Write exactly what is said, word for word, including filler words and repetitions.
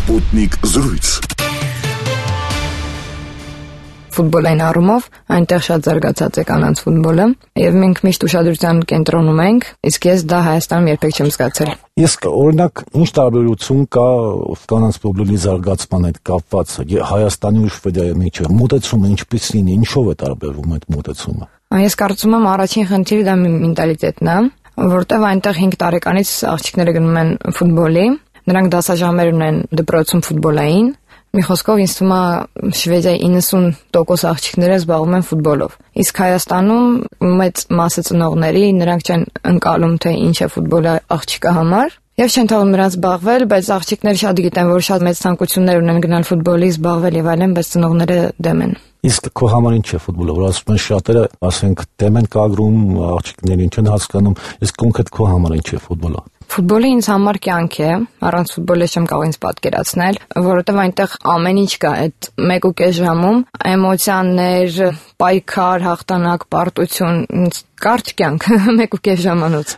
Sputnik զրույց։ Ֆուտբոլային առումով այնտեղ շատ զարգացած է կանանց ֆուտբոլը, եւ մենք միշտ ուշադրության կենտրոնում ենք, իսկ ես դա Հայաստանում երբեք չեմ զգացել։ Ես օրինակ ինչ տարբերություն կա կանանց ֆուտբոլի զարգացման հետ կապված Հայաստանի ու Շվեդիայի միջեւ, մոտեցումը ինչպիսին է, ինչով է տարբերվում այդ մոտեցումը։ Ես կարծում եմ առաջին խնդիրը դա մենտալիտետն է, որտեղ այնտեղ հինգ տարեկանից աղջիկները գնում են ֆուտբոլի, նրանք դասաժամեր ունեն դպրոցում ֆուտբոլային։ Մի խոսքով ինձ թվում է Շվեդիայի իննսուն տոկոս աղջիկները զբաղվում են ֆուտբոլով։ Իսկ Հայաստանում մեծ մասը ծնողների նրանք չեն ընկալում թե ինչ է ֆուտբոլը աղջիկա համար եւ չեն թողում նրանց զբաղվել, բայց աղջիկները շատ գիտեն, որ շատ մեծ ցանկություններ ունեն գնալ ֆուտբոլի զբաղվել եւ այլն, բայց ծնողները դեմ են։ Իսկ քո համար ինչ է ֆուտբոլը, որ ասում են շատերը, ասենք դեմ են կագրում աղջիկներին, չեն հասկանում, իսկ կոնկրետ քո համար ինչ է ֆուտբոլը։ Ֆուտբոլը ինձ համար կյանք է, առանց ֆուտբոլի չեմ կարող ինձ պատկերացնել, որովհետև այնտեղ ամեն ինչ կա, այդ մեկ ու կես ժամում էմոցիաներ, պայքար, հաղթանակ, պարտություն, կարճ կյանք, մեկ ու կես ժամանոց։